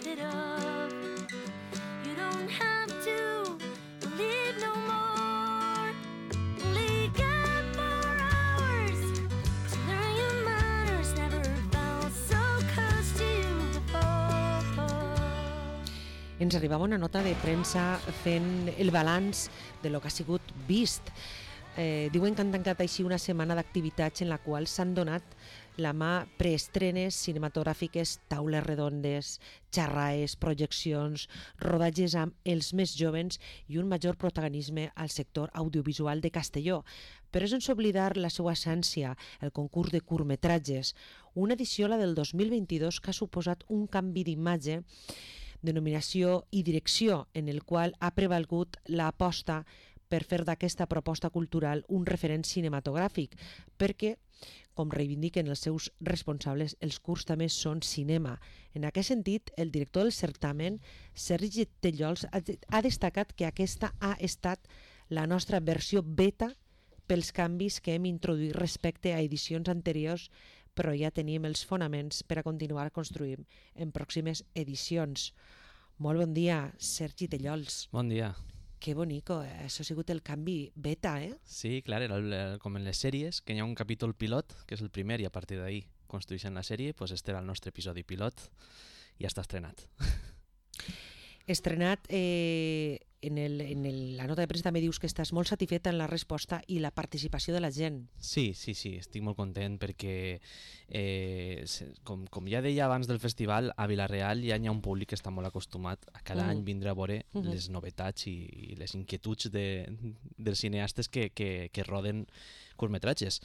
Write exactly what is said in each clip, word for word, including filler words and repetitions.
method of. You don't have to believe no more. Only got four hours to learn your manners. Never felt so close to you before. Ens arribava una nota de premsa fent el balanç de lo que ha sigut vist. Eh, diuen que han tancat així una setmana d'activitats en la qual s'han donat la mà preestrenes cinematogràfiques, taules redondes, xerraes, projeccions, rodatges amb els més jovens i un major protagonisme al sector audiovisual de Castelló. Però sense oblidar la seva essència, el concurs de curtmetratges, una edició, la del dos mil vint-i-dos, que ha suposat un canvi d'imatge, denominació i direcció, en el qual ha prevalgut l'aposta per fer d'aquesta proposta cultural un referent cinematogràfic, perquè, com reivindiquen els seus responsables, els curts també són cinema. En aquest sentit, el director del certamen, Sergi Tellols, ha destacat que aquesta ha estat la nostra versió beta pels canvis que hem introduït respecte a edicions anteriors, però ja tenim els fonaments per a continuar construint en pròximes edicions. Molt bon dia, Sergi Tellols. Bon dia. Que bonico, eh? Això ha sigut el canvi beta, eh? Sí, clar, era el, el, com en les sèries, que hi ha un capítol pilot, que és el primer, i a partir d'ahir construeixen la sèrie, doncs este era el nostre episodi pilot, i ja està estrenat. Estrenat, eh, en, el, en el, la nota de premsa també dius que estàs molt satisfeta en la resposta i la participació de la gent. Sí, sí, sí, estic molt content perquè, eh, com, com ja deia abans del festival, a Vila-real ja hi ha un públic que està molt acostumat a cada mm. any vindre a veure mm -hmm. les novetats i, i les inquietuds de, dels cineastes que, que, que roden curtmetratges.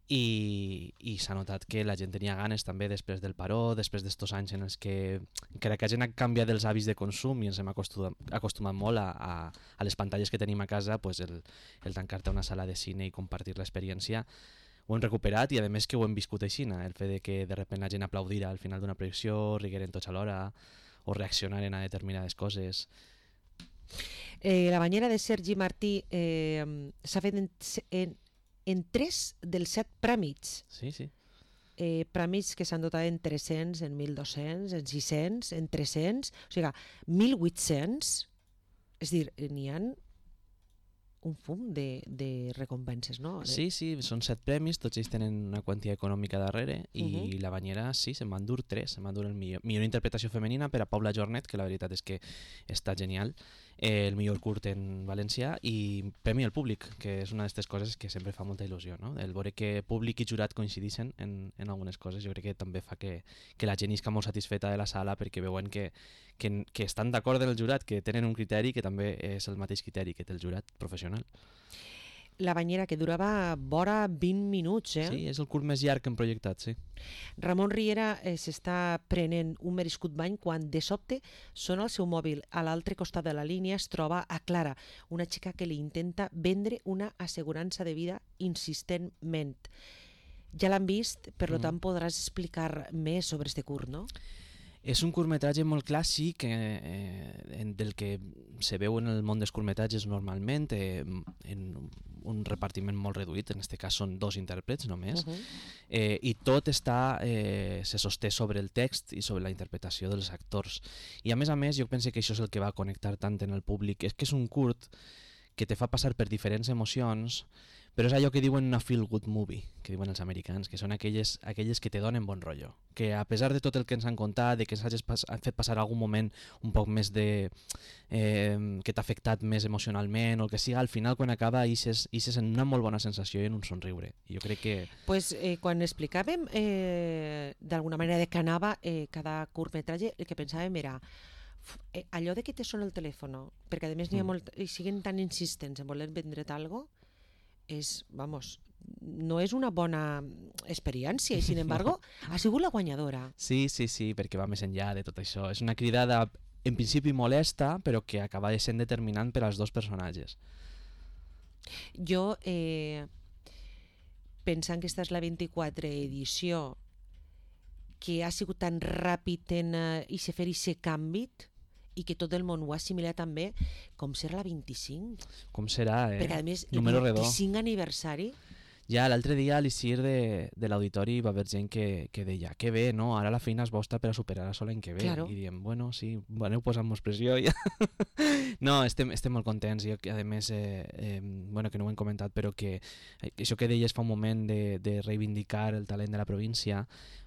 I, i s'ha notat que la gent tenia ganes també després del paró, després d'estos anys en els que encara que la gent ha canviat els hàbits de consum i ens hem acostumat, acostumat molt a, a, a les pantalles que tenim a casa, pues el, el tancar-te a una sala de cine i compartir l'experiència ho hem recuperat, i a més que ho hem viscut així, el fet de que de sobte la gent aplaudirà al final d'una projecció, rigueren tots alhora o reaccionaren a determinades coses. Eh, la banyera de Sergi Martí eh, s'ha fet en, en en tres dels set prèmits. Sí, sí. Eh, prèmits que s'han dotat en tres-cents, en mil dos-cents, en sis-cents, en tres-cents, o sigui, mil vuit-cents, és a dir, n'hi ha un fum de, de recompenses, no? De... Sí, sí, són set premis, tots ells tenen una quantia econòmica darrere, i uh-huh. la banyera, sí, se'n van dur tres, se'n van dur el millor, millor interpretació femenina per a Paula Jornet, que la veritat és que està genial, eh, el millor curt en valencià, i premi al públic, que és una d'aquestes coses que sempre fa molta il·lusió, no? El veure que públic i jurat coincideixen en, en algunes coses, jo crec que també fa que, que la gent isca molt satisfeta de la sala, perquè veuen que, que, que estan d'acord amb el jurat, que tenen un criteri que també és el mateix criteri que té el jurat professional. La banyera, que durava vora vint minuts, eh? Sí, és el curt més llarg que hem projectat, sí. Ramon Riera eh, s'està prenent un merescut bany quan de sobte sona el seu mòbil. A l'altre costat de la línia es troba a Clara, una xica que li intenta vendre una assegurança de vida insistentment. Ja l'han vist, per mm. tant podràs explicar més sobre este curt, no? És un curtmetratge molt clàssic, eh, del que se veu en el món dels curtmetratges normalment, eh, en un repartiment molt reduït, en aquest cas són dos intèrprets només, uh-huh. eh, i tot està, eh, se sosté sobre el text i sobre la interpretació dels actors. I a més a més, jo penso que això és el que va connectar tant en el públic, és que és un curt que te fa passar per diferents emocions, però és allò que diuen una feel good movie, que diuen els americans, que són aquelles, aquelles que te donen bon rotllo, que a pesar de tot el que ens han contat, de que ens hagis pas, fet passar algun moment un poc més de... Eh, que t'ha afectat més emocionalment o el que siga, al final quan acaba ixes, ixes en una molt bona sensació i en un somriure. I jo crec que... Pues, eh, quan explicàvem eh, d'alguna manera de què anava eh, cada curtmetratge, el que pensàvem era eh, allò de que te sona el telèfon, perquè a més n'hi ha molt, i siguen tan insistents en voler vendre't alguna cosa, és, vamos, no és una bona experiència i, sin embargo, ha sigut la guanyadora. Sí, sí, sí, perquè va més enllà de tot això. És una cridada, en principi molesta, però que acaba sent determinant per als dos personatges. Jo, eh, pensant que esta és la vint-i-quatre edició, que ha sigut tan ràpid en eh, i se fer aquest canvi, i que tot el món ho ha assimilat també, com serà la vint-i-cinc? Com serà, eh? Perquè a més, número el redó. vint-i-cinc aniversari... Ja l'altre dia a l'I C I R de, de l'auditori va haver gent que, que deia que bé, no? Ara la feina és vostra per a superar això l'any que ve. Claro. I diem, bueno, sí, aneu posant-nos pressió. Ja. No, estem, estem molt contents i a més, eh, eh, bueno, que no ho hem comentat, però que això que deies fa un moment de, de reivindicar el talent de la província,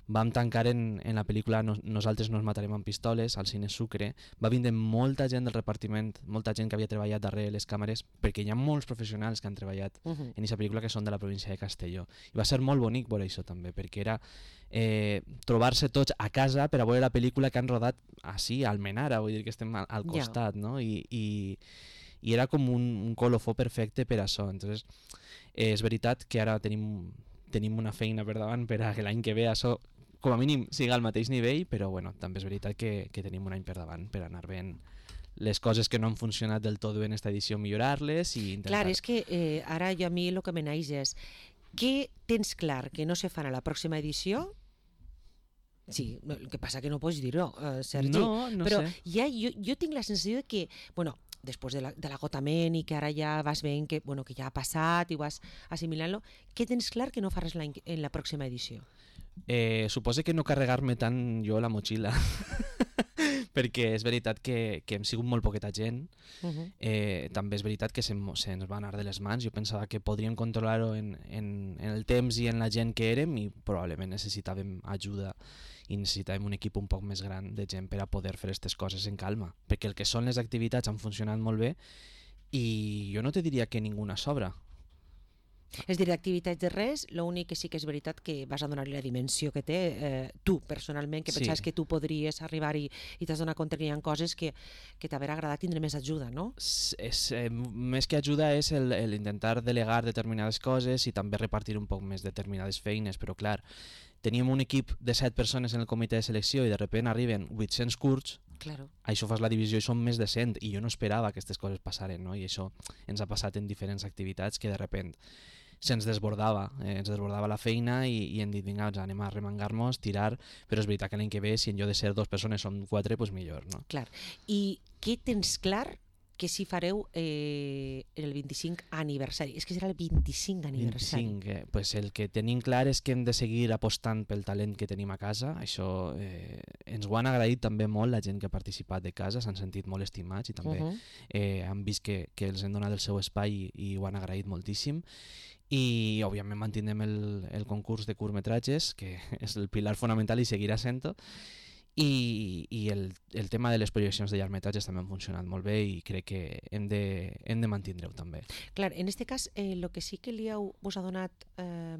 vam tancar en, en la pel·lícula Nos, Nosaltres nos matarem amb pistoles al Cine Sucre. Va vindre molta gent del repartiment, molta gent que havia treballat darrere les càmeres, perquè hi ha molts professionals que han treballat Uh -huh. en aquesta pel·lícula que són de la província de Castelló. I va ser molt bonic veure això també, perquè era eh, trobar-se tots a casa per a veure la pel·lícula que han rodat així, al Menara, vull dir que estem al, al costat, yeah. no? I, i, i era com un, un colofó perfecte per a això. Entonces, eh, és veritat que ara tenim, tenim una feina per davant per a que l'any que ve això com a mínim siga al mateix nivell, però bueno, també és veritat que, que tenim un any per davant per anar veient les coses que no han funcionat del tot bé en esta edició, millorar-les i intentar... Clar, és que eh, ara jo a mi el que me naix és què tens clar que no se farà a la pròxima edició? Sí, el que passa que no pots dir-ho, eh, Sergi. No, no però sé. ja jo, jo tinc la sensació de que, bueno, després de la, de l'agotament i que ara ja vas veient que, bueno, que ja ha passat i vas assimilant-lo, què tens clar que no faràs l'any en la pròxima edició? Eh, suposo que no carregar-me tant jo la motxilla, perquè és veritat que, que hem sigut molt poqueta gent. Uh -huh. eh, també és veritat que se'ns se ens va anar de les mans. Jo pensava que podríem controlar-ho en, en, en el temps i en la gent que érem i probablement necessitàvem ajuda i necessitàvem un equip un poc més gran de gent per a poder fer aquestes coses en calma, perquè el que són les activitats han funcionat molt bé i jo no te diria que ninguna sobra. És dir, d'activitats de res, l'únic que sí que és veritat que vas a donar-li la dimensió que té eh, tu, personalment, que Sí. pensaves que tu podries arribar i, i t'has donat compte que hi ha coses que, que t'haver agradat tindre més ajuda, no? És, és, eh, més que ajuda és el, el intentar delegar determinades coses i també repartir un poc més determinades feines, però clar, teníem un equip de set persones en el comitè de selecció i de sobte arriben vuit-cents curts, Claro. això fas la divisió i són més de cent i jo no esperava que aquestes coses passaren, no? I això ens ha passat en diferents activitats que de sobte se'ns desbordava, eh, ens desbordava la feina i, i hem dit, vinga, doncs anem a remangar-nos, tirar, però és veritat que l'any que ve, si en lloc de ser dues persones som quatre, doncs millor, no? Clar. I què tens clar que si fareu eh, el vint-i-cinc aniversari? És que serà el vint-i-cinc aniversari. vint-i-cinc, eh, pues el que tenim clar és que hem de seguir apostant pel talent que tenim a casa. Això eh, ens ho han agraït també molt la gent que ha participat de casa, s'han sentit molt estimats i també Uh -huh. eh, han vist que, que els hem donat el seu espai i, i ho han agraït moltíssim. I òbviament mantindrem el, el concurs de curtmetratges, que és el pilar fonamental i seguirà sent-ho. I, i el, el tema de les projeccions de llargmetratges també han funcionat molt bé i crec que hem de, hem de mantindre-ho també. Clar, en aquest cas, el eh, que sí que li heu, vos ha donat eh,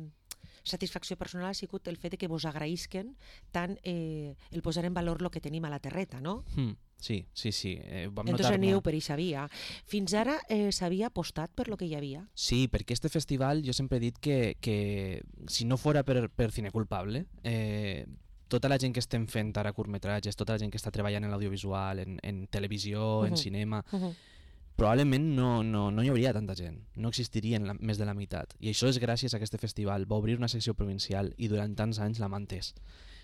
satisfacció personal ha sigut el fet de que vos agraïsquen tant eh, el posar en valor el que tenim a la terreta, no? Mm, sí, sí, sí. Eh, vam Entonces notar aneu molt. per eixa via. Fins ara eh, s'havia apostat per lo que hi havia? Sí, perquè este festival jo sempre he dit que, que si no fora per, per Cine Culpable, eh, tota la gent que estem fent ara curtmetratges, tota la gent que està treballant en l'audiovisual, en, en televisió, en Uh-huh. cinema, Uh -huh. probablement no, no, no hi hauria tanta gent, no existirien la, més de la meitat. I això és gràcies a aquest festival. Va obrir una secció provincial i durant tants anys l'ha mantès.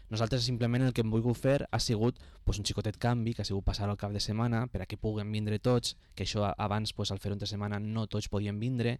Nosaltres simplement el que hem volgut fer ha sigut pues, un xicotet canvi, que ha sigut passar al cap de setmana per a que puguen vindre tots, que això abans pues, al fer-ho entre setmana no tots podien vindre,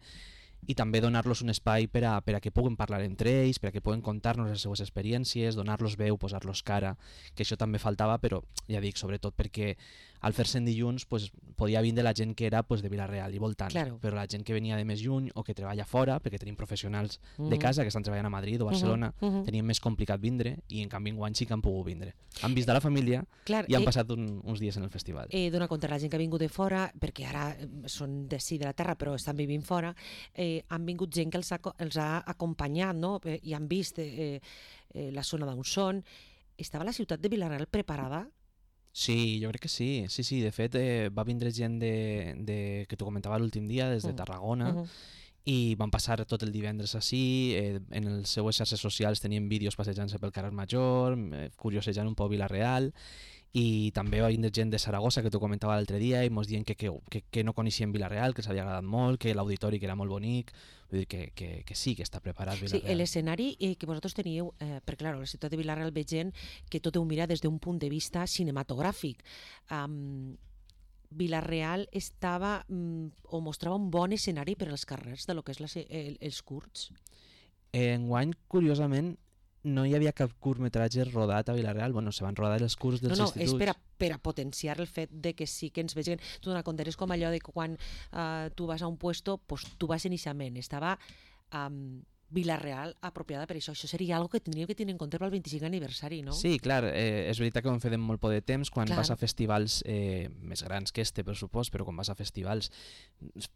i també donar-los un espai per a, per a que puguen parlar entre ells, per a que puguen contar-nos les seues experiències, donar-los veu, posar-los cara, que això també faltava, però ja dic, sobretot perquè al fer-se en dilluns pues, podia vindre la gent que era pues, de Vila-real i voltant, Claro. però la gent que venia de més lluny o que treballa fora, perquè tenim professionals Uh -huh. de casa que estan treballant a Madrid o Barcelona, Uh -huh. tenien més complicat vindre i en canvi enguany sí que han pogut vindre. Han vist de la família Clar, i han eh, passat un, uns dies en el festival. eh, donar compte a la gent que ha vingut de fora, perquè ara eh, són de sí de la terra però estan vivint fora, eh, han vingut gent que els ha, co- els ha acompanyat, no? Eh, i han vist eh, eh, la zona d'on són. Estava la ciutat de Vila-real preparada? Sí, jo crec que sí. Sí, sí, de fet eh, va vindre gent de, de, que t'ho comentava l'últim dia, des de Mm. Tarragona, Uh -huh. i van passar tot el divendres així, eh, en les seues xarxes socials tenien vídeos passejant-se pel carrer Major, eh, curiosejant un poc Vila-real, i també va vindre gent de Saragossa, que t'ho comentava l'altre dia, i mos dient que, que, que, que no coneixien Vila-real, que els havia agradat molt, que l'auditori que era molt bonic, vull dir que, que, que sí, que està preparat Sí, Vila-real. l'escenari eh, que vosaltres teníeu, eh, perquè clar, la ciutat de Vila-real ve gent que tot ho mira des d'un punt de vista cinematogràfic. Um, Vila-real estava mm, o mostrava un bon escenari per als carrers de lo que és la, se- el, els curts. Enguany, curiosament, no hi havia cap curtmetratge rodat a Vila-real. Bueno, se van rodar els curts dels No, no, instituts. és per a, per a potenciar el fet de que sí que ens vegin. Tu donar compte, és com allò de que quan uh, tu vas a un puesto, pues, tu vas inicialment. Estava um, Vila-real apropiada per això. Això seria algo que tindríem que tenir en compte pel vint-i-cinquè aniversari, no? Sí, clar, eh, és veritat que ho hem fet en molt poc de temps, quan Clar. vas a festivals eh, més grans que este, per supost, però quan vas a festivals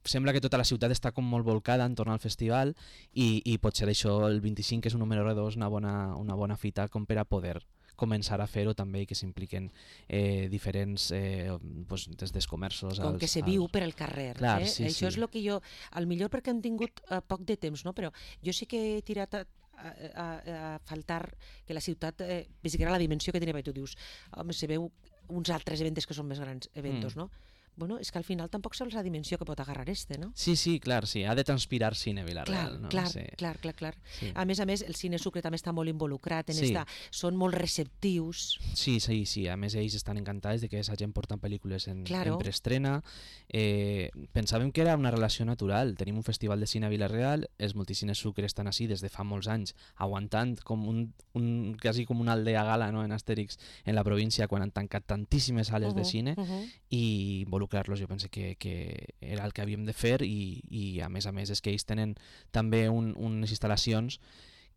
sembla que tota la ciutat està com molt volcada entorn al festival i, i potser això, el vint-i-cinc, que és un número redós, una bona, una bona fita com per a poder començar a fer-ho també i que s'impliquen eh, diferents, eh, pues, des dels comerços Com als, que se als... viu per al carrer. Clar, eh? sí, Això sí. és el que jo, al millor perquè hem tingut uh, poc de temps, no? Però jo sí que he tirat a, a, a, a faltar que la ciutat eh, visiera la dimensió que tenia, perquè tu dius, home, se veu uns altres events que són més grans eventos, Mm. no? Bueno, és que al final tampoc saps la dimensió que pot agarrar este, no? Sí, sí, clar, sí, ha de transpirar cine Vila-real, Clar, no? clar, Sí. clar, clar, clar. Sí. A més a més, el cine sucre també està molt involucrat en Sí. esta... Són molt receptius. Sí, sí, sí. A més, ells estan encantats de que aquesta gent porten pel·lícules en, Claro. en preestrena. Eh, pensàvem que era una relació natural. Tenim un festival de cine a Vila-real, els multicines Sucre estan així des de fa molts anys, aguantant com un, un quasi com una aldea gala, no?, en Astèrix, en la província, quan han tancat tantíssimes sales de Uh-huh, cine, uh-huh. i involucrar-los jo pense que, que era el que havíem de fer i, i a més a més és que ells tenen també un, unes instal·lacions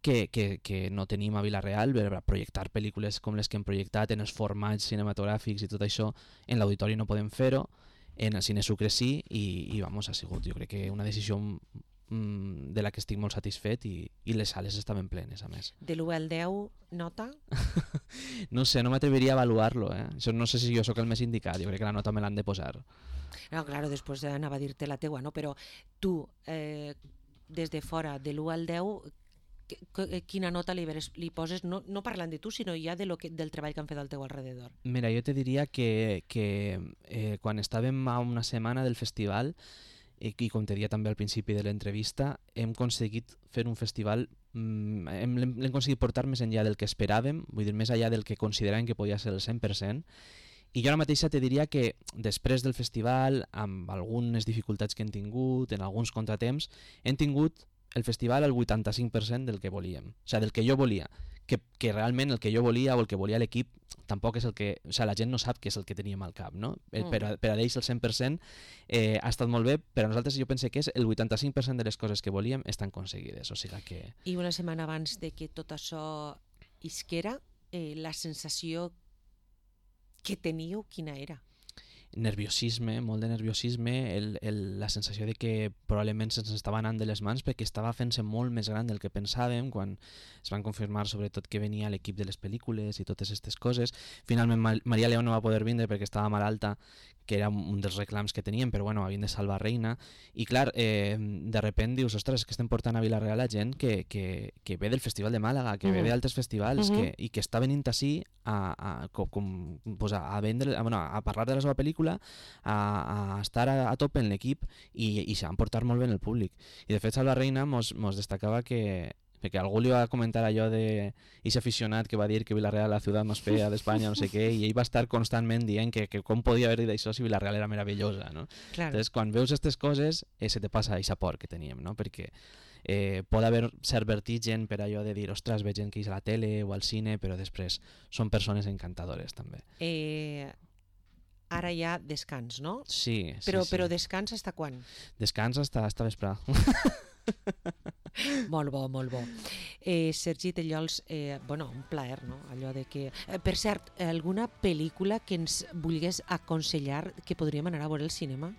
que, que, que no tenim a Vila-real per a projectar pel·lícules com les que hem projectat en els formats cinematogràfics i tot això. En l'auditori no podem fer-ho, en el Cine Sucre sí, i, i vamos, ha sigut jo crec que una decisió mm, de la que estic molt satisfet i, i les sales estaven plenes, a més. De l'u al deu, nota? No sé, no m'atreviria a avaluar-lo, eh? Això no sé si jo sóc el més indicat, jo crec que la nota me l'han de posar. No, claro, després anava a dir-te la teua, no? Però tu, eh, des de fora, de l'u al deu, que- que- quina nota li, veres, li poses, no, no parlant de tu, sinó ja de lo que, del treball que han fet al teu alrededor? Mira, jo te diria que, que eh, quan estàvem a una setmana del festival, i, i com te dia també al principi de l'entrevista, hem aconseguit fer un festival, mm, hem, l'hem l'hem aconseguit portar més enllà del que esperàvem, vull dir, més enllà del que consideràvem que podia ser el cent per cent, i jo ara mateixa te diria que després del festival, amb algunes dificultats que hem tingut, en alguns contratemps, hem tingut el festival al vuitanta-cinc per cent del que volíem, o sigui, del que jo volia, que, que realment el que jo volia o el que volia l'equip tampoc és el que, o sigui, la gent no sap què és el que teníem al cap, no? El, Mm. per, a, per a ells el cent per cent eh, ha estat molt bé, però a nosaltres jo pense que és el vuitanta-cinc per cent de les coses que volíem estan aconseguides, o sigui que... I una setmana abans de que tot això isquera, eh, la sensació que teníeu, quina era? Nerviosisme, molt de nerviosisme, el, el, la sensació de que probablement se'ns estava anant de les mans perquè estava fent-se molt més gran del que pensàvem quan es van confirmar sobretot que venia l'equip de les pel·lícules i totes aquestes coses. Finalment Ma- Maria León no va poder vindre perquè estava malalta, que era un dels reclams que teníem, però bueno, havien de salvar Reina, i clar, eh, de repent dius, ostres, és que estem portant a Vila-real a gent que, que, que ve del Festival de Màlaga, que ve Mhm. d'altres festivals, Mhm. que, i que està venint així a, a, com, com, pues a, a, vendre, a, bueno, a parlar de la seva pel·lícula, a, a estar a, a tope en l'equip i, i se van portar molt bé en el públic. I de fet Salva Reina mos, mos destacava que, que algú li va comentar allò de ese aficionat que va dir que Vila-real la ciutat més fea d'Espanya, no sé què, i ell va estar constantment dient que, que com podia haver dit això si Vila-real era meravellosa, no? Claro. Entonces, quan veus aquestes coses, eh, se te passa aquesta por que teníem, no? Perquè eh, pot haver cert vertigen per allò de dir, ostres, veig gent que és a la tele o al cine, però després són persones encantadores, també. Eh, ara hi ha descans, no? Sí, sí, Però, sí. però descans hasta quan? Descans hasta, hasta vespre. Molt bo, molt bo. Eh, Sergi Tellols, eh, bueno, un plaer, no? Allò de que... Eh, per cert, alguna pel·lícula que ens vulgués aconsellar que podríem anar a veure al cinema?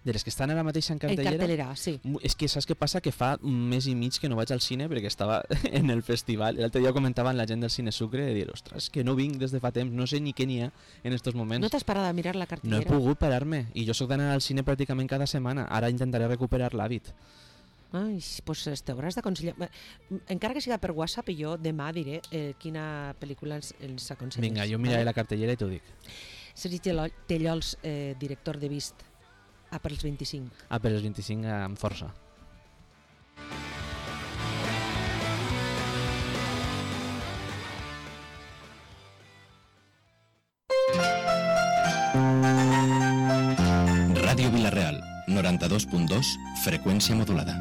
De les que estan ara mateix en En cartellera... cartelera, sí. Mu- És que saps què passa? Que fa un mes i mig que no vaig al cine perquè estava en el festival. L'altre dia comentaven la gent del Cine Sucre de dir, ostres, que no vinc des de fa temps, no sé ni què n'hi ha en estos moments. No t'has parat a mirar la No he cartellera? pogut parar-me i jo sóc d'anar al cine pràcticament cada setmana. Ara intentaré recuperar l'hàbit. Ai, doncs t'hauràs d'aconsellar. Bé, encara que siga per WhatsApp, i jo demà diré eh, quina pel·lícula ens, ens aconselles. Vinga, jo miraré la cartellera i t'ho dic. Sergi Tello- Tellols, eh, director de Vist, a per als vint-i-cinc. Ah, per els vint-i-cinc amb força. noranta-dos punt dos, freqüència modulada.